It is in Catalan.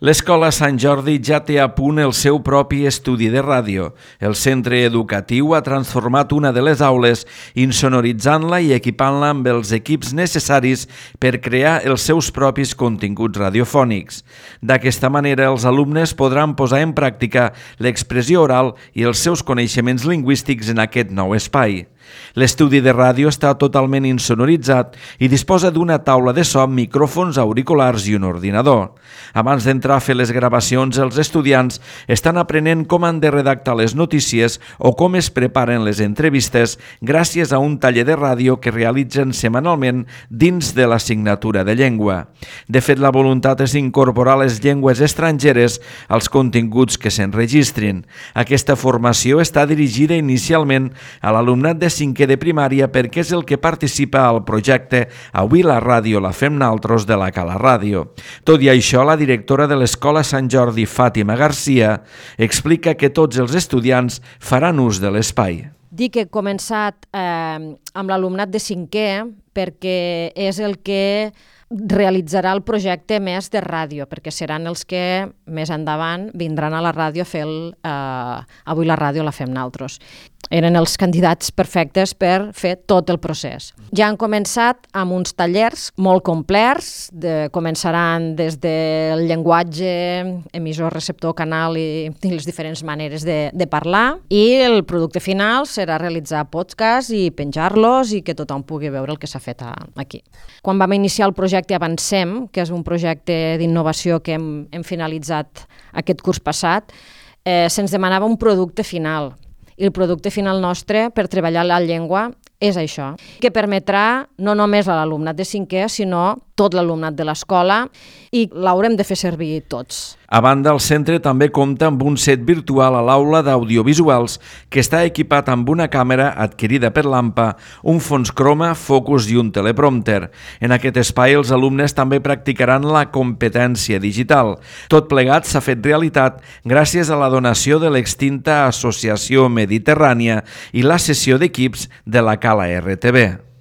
L'Escola Sant Jordi ja té a punt el seu propi estudi de ràdio. El centre educatiu ha transformat una de les aules, insonoritzant-la i equipant-la amb els equips necessaris per crear els seus propis continguts radiofònics. D'aquesta manera, els alumnes podran posar en pràctica l'expressió oral i els seus coneixements lingüístics en aquest nou espai. L'estudi de ràdio està totalment insonoritzat i disposa d'una taula de so amb micròfons, auriculars i un ordinador. Abans d'entrar a fer les gravacions, els estudiants estan aprenent com han de redactar les notícies o com es preparen les entrevistes gràcies a un taller de ràdio que realitzen setmanalment dins de l'assignatura de llengua. De fet, la voluntat és incorporar les llengües estrangeres als continguts que s'enregistrin. Aquesta formació està dirigida inicialment a l'alumnat de 5è de primària perquè és el que participa al projecte Avui la ràdio la fem naltros de la Cala Ràdio. Tot i això, la directora de l'Escola Sant Jordi, Fàtima Garcia, explica que tots els estudiants faran ús de l'espai. Dic que he començat amb l'alumnat de 5è perquè és el que realitzarà el projecte més de ràdio, perquè seran els que més endavant vindran a la ràdio a fer Avui la ràdio la fem naltros. Eren els candidats perfectes per fer tot el procés. Ja han començat amb uns tallers molt complets, començaran des del llenguatge, emissor, receptor, canal i les diferents maneres de parlar, i el producte final serà realitzar podcasts i penjar-los i que tothom pugui veure el que s'ha fet aquí. Quan vam iniciar el projecte Avancem, que és un projecte d'innovació que hem finalitzat aquest curs passat, se'ns demanava un producte final. I el producte final nostre per treballar la llengua és això, que permetrà no només a l'alumnat de 5è, sinó tot l'alumnat de l'escola, i l'haurem de fer servir tots. A banda, el centre també compta amb un set virtual a l'aula d'audiovisuals que està equipat amb una càmera adquirida per l'AMPA, un fons croma, focus i un teleprompter. En aquest espai els alumnes també practicaran la competència digital. Tot plegat s'ha fet realitat gràcies a la donació de l'extinta Associació Mediterrània i la cessió d'equips de la Cala RTV.